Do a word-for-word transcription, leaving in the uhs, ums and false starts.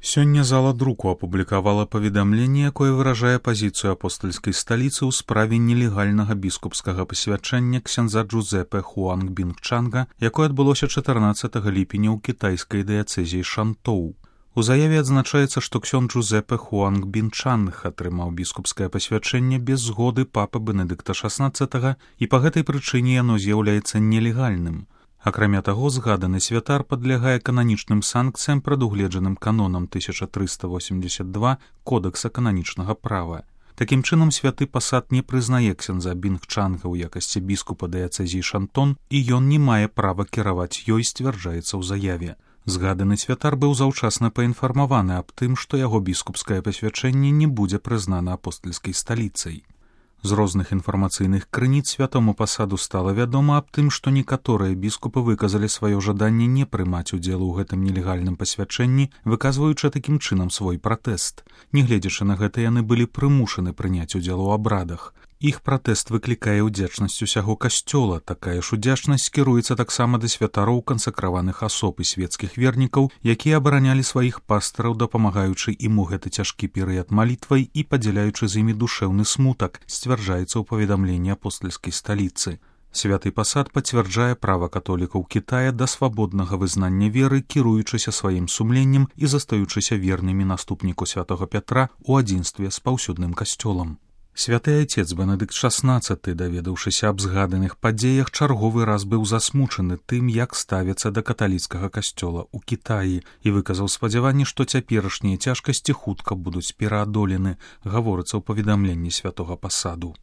Сёння зала друку апублікавала паведамленне, якое выражае пазіцыю апостальскай сталіцы ў справе нелегальнага біскупскага пасвячэння ксяндза Джузепе Хуангбінгчанга, якое адбылося чатырнаццатага ліпеня ў кітайскай дыяцэзіі Шантоу. У заяве адзначаецца, што ксёндз Джузепе Хуангбінгчанг атрымаў біскупскае пасвячэнне без згоды папы Бенедыкта шаснаццатага, і па гэтай прычыне яно з'яўляецца нелегальным. Акрамя таго, згаданы святар падлягае кананічным санкцыям, прадугледжаным канонам тысяча трыста восемьдесят два Кодекса кананічнага права. Такім чынам, святы пасад не прызнае ксяндза Бінгчанга ў якасці біскупа дыяцэзіі Шантон, і ён не мае права кіраваць ёй, сцвярджаецца ў заяве. Згаданы святар быў заўчасна паінфармаваны аб тым, што яго біскупскае пасвячэнне не будзе прызнана апостальскай сталіцай. З розных інфармацыйных крыніц святому пасаду стала вядома аб тым, што некаторыя біскупы выказалі сваё жаданне не прымаць удзел у гэтым нелегальным пасвячэнні, выказваючы такім чынам свой пратэст. Нягледзячы на гэта, яны былі прымушаны прыняць удзел у абрадах. Іх пратэст выклікае ўдзячнасць усяго касцёла, такая ж удзячнасць кіруецца таксама да святароў, кансакраваных асоб і свецкіх вернікаў, якія абаранялі сваіх пастыраў, дапамагаючы ім у гэты цяжкі перыяд малітвай і падзяляючы з імі душэўны смутак, сцвярджаецца ў паведамленні апостальскай сталіцы. Святы пасад пацвярджае права католікаў Кітая да свабоднага вызнання веры, кіруючыся сваім сумленнем і застаючыся вернымі наступніку святога Пятра ў адзінстве з паўсюдным касцёлам. Святы айцец Бенедыкт шаснаццаты, даведаўшыся аб згаданых падзеях, чарговы раз быў засмучаны тым, як ставіцца да каталіцкага касцёла ў Кітаі, і выказаў спадзяванне, што цяперашнія цяжкасці хутка будуць пераадолены, гаворыцца ў паведамленні святога пасаду.